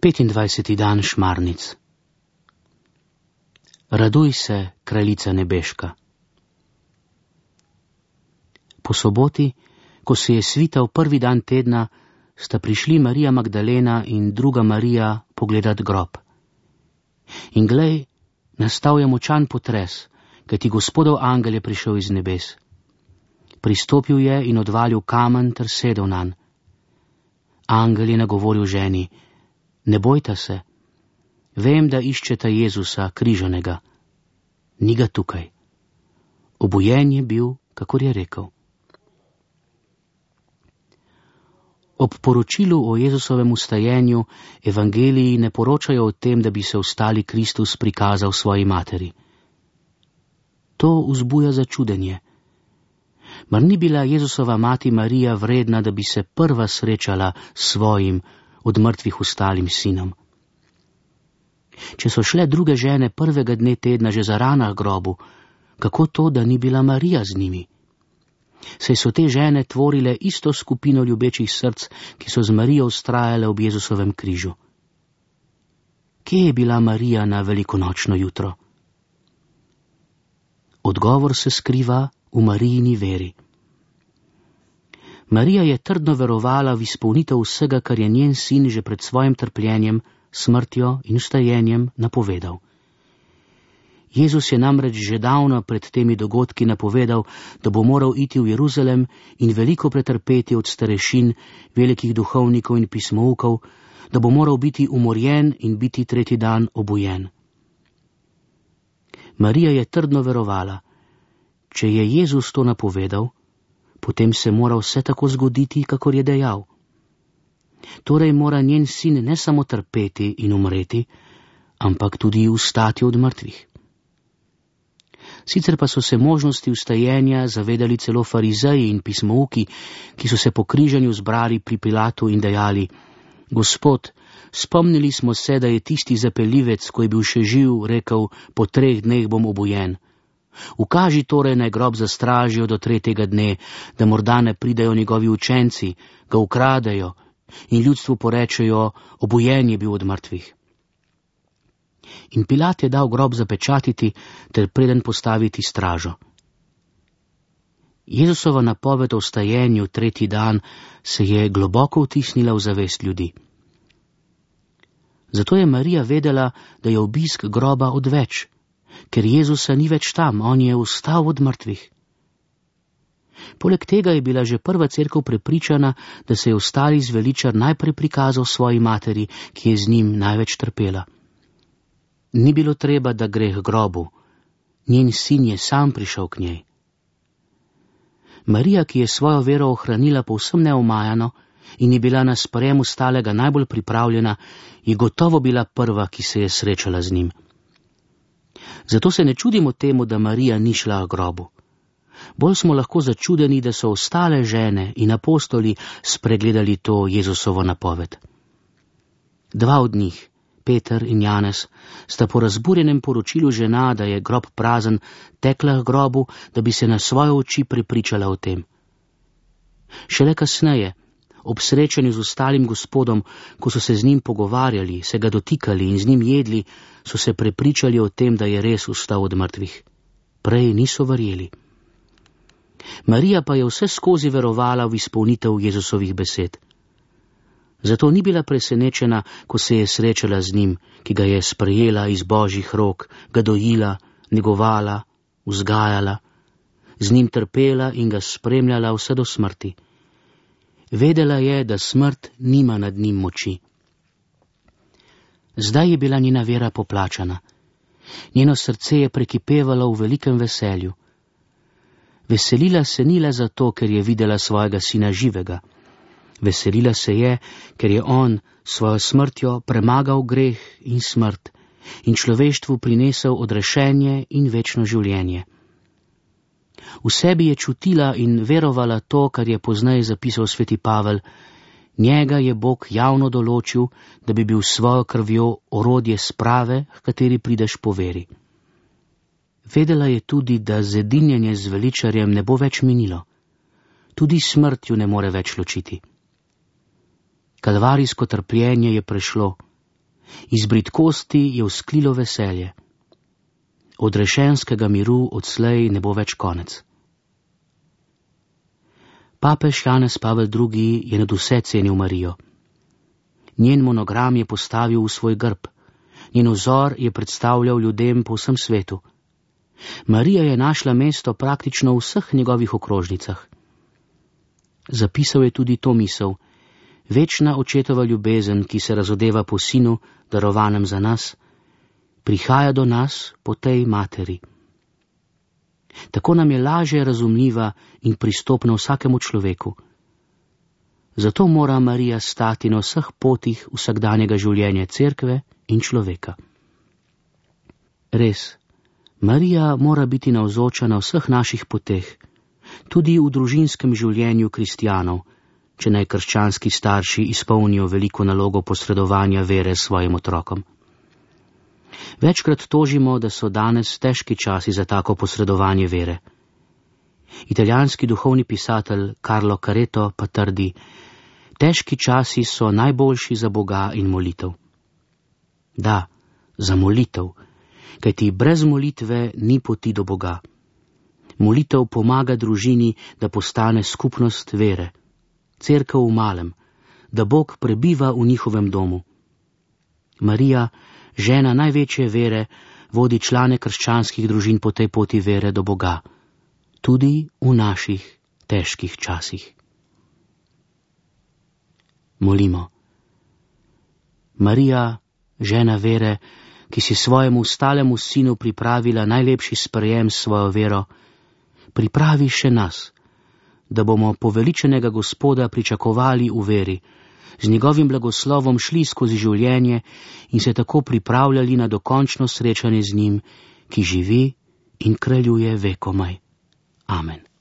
25. dan šmarnic. Raduj se, kraljica nebeška. Po soboti, ko se je svital prvi dan tedna, sta prišli Marija Magdalena in druga Marija pogledat grob. In glej, nastal je močan potres, kajti Gospodov angel je prišel iz nebes. Pristopil je in odvalil kamen ter sedel nanj. Angel je nagovoril ženi: ne bojta se, vem, da iščeta Jezusa križanega. Ni ga tukaj. Obujen je bil, kakor je rekel. Ob poročilu o Jezusovem vstajenju evangeliji ne poročajo o tem, da bi se vstali Kristus prikazal svoji materi. To vzbuja začudenje. Mar ni bila Jezusova mati Marija vredna, da bi se prva srečala s svojim od mrtvih vstalim sinom? Če so šle druge žene prvega dne tedna že za ranah grobu, kako to, da ni bila Marija z njimi? Saj so te žene tvorile isto skupino ljubečih src, ki so z Marijo vztrajale ob Jezusovem križu. Kje je bila Marija na velikonočno jutro? Odgovor se skriva v Marijini veri. Marija je trdno verovala v izpolnitev vsega, kar je njen sin že pred svojim trpljenjem, smrtjo in vstajenjem napovedal. Jezus je namreč že davno pred temi dogodki napovedal, da bo moral iti v Jeruzalem in veliko pretrpeti od starešin, velikih duhovnikov in pismoukov, da bo moral biti umorjen in biti tretji dan obujen. Marija je trdno verovala, če je Jezus to napovedal, potem se mora vse tako zgoditi, kakor je dejal. Torej mora njen sin ne samo trpeti in umreti, ampak tudi vstati od mrtvih. Sicer pa so se možnosti vstajenja zavedali celo farizeji in pismouki, ki so se po križanju zbrali pri Pilatu in dejali: Gospod, spomnili smo se, da je tisti zapeljivec, ko je bil še živ, rekel: po 3 dneh bom obujen. Ukaži torej, naj grob zastražijo do 3. dne, da morda ne pridejo njegovi učenci, ga ukradejo in ljudstvu porečejo: obujen je bil od mrtvih. In Pilat je dal grob zapečatiti ter preden postaviti stražo. Jezusova napoved o vstajenju 3. dan se je globoko vtisnila v zavest ljudi. Zato je Marija vedela, da je obisk groba odveč, ker Jezusa ni več tam, on je vstal od mrtvih. Poleg tega je bila že prva cerkev prepričana, da se je vstali zveličar najprej prikazal svoji materi, ki je z njim največ trpela. Ni bilo treba, da gre k grobu, njen sin je sam prišel k njej. Marija, ki je svojo vero ohranila povsem neomajano in je bila na sprejem vstalega najbolj pripravljena, je gotovo bila prva, ki se je srečala z njim. Zato se ne čudimo temu, da Marija ni šla k grobu. Bolj smo lahko začudeni, da so ostale žene in apostoli spregledali to Jezusovo napoved. 2 od njih, Peter in Janez, sta po razburjenem poročilu žena, da je grob prazen, tekla k grobu, da bi se na svoje oči prepričala o tem. Šele kasneje, ob srečanju z ostalim Gospodom, ko so se z njim pogovarjali, se ga dotikali in z njim jedli, so se prepričali o tem, da je res vstal od mrtvih. Prej niso verjeli. Marija pa je vse skozi verovala v izpolnitev Jezusovih besed. Zato ni bila presenečena, ko se je srečala z njim, ki ga je sprejela iz Božjih rok, ga dojila, negovala, vzgajala, z njim trpela in ga spremljala vse do smrti. Vedela je, da smrt nima nad njim moči. Zdaj je bila njena vera poplačana. Njeno srce je prekipevalo v velikem veselju. Veselila se ni le zato, ker je videla svojega sina živega. Veselila se je, ker je on svojo smrtjo premagal greh in smrt in človeštvu prinesel odrešenje in večno življenje. V sebi je čutila in verovala to, kar je pozneje zapisal sveti Pavel: njega je Bog javno določil, da bi bil s svojo krvjo orodje sprave, h kateri prideš po veri. Vedela je tudi, da zedinjenje z veličarjem ne bo več minilo. Tudi smrt ju ne more več ločiti. Kalvarijsko trpljenje je prešlo Iz bridkosti je vzklilo veselje. Od rešenskega miru odslej ne bo več konec. Papež Janez Pavel II. Je nadvse cenil Marijo. Njen monogram je postavil v svoj grb, njen vzor je predstavljal ljudem po vsem svetu. Marija je našla mesto praktično v vseh njegovih okrožnicah. Zapisal je tudi to misel: večna očetova ljubezen, ki se razodeva po sinu, darovanem za nas, prihaja do nas po tej materi. Tako nam je lažje razumljiva in pristopna vsakemu človeku. Zato mora Marija stati na vseh potih vsakdanjega življenja cerkve in človeka. Res, Marija mora biti navzoča na vseh naših poteh, tudi v družinskem življenju kristjanov, če naj krščanski starši izpolnijo veliko nalogo posredovanja vere svojim otrokom. Večkrat tožimo, da so danes težki časi za tako posredovanje vere. Italijanski duhovni pisatelj Carlo Careto pa trdi: težki časi so najboljši za Boga in molitev. Da, za molitev, kajti brez molitve ni poti do Boga. Molitev pomaga družini, da postane skupnost vere, cerkev v malem, da Bog prebiva v njihovem domu. Marija, žena največje vere, vodi člane krščanskih družin po tej poti vere do Boga, tudi v naših težkih časih. Molimo. Marija, žena vere, ki si svojemu stalemu sinu pripravila najlepši sprejem s svojo vero, pripravi še nas, da bomo poveličenega Gospoda pričakovali v veri, z njegovim blagoslovom šli skozi življenje in se tako pripravljali na dokončno srečanje z njim, ki živi in kraljuje vekomaj. Amen.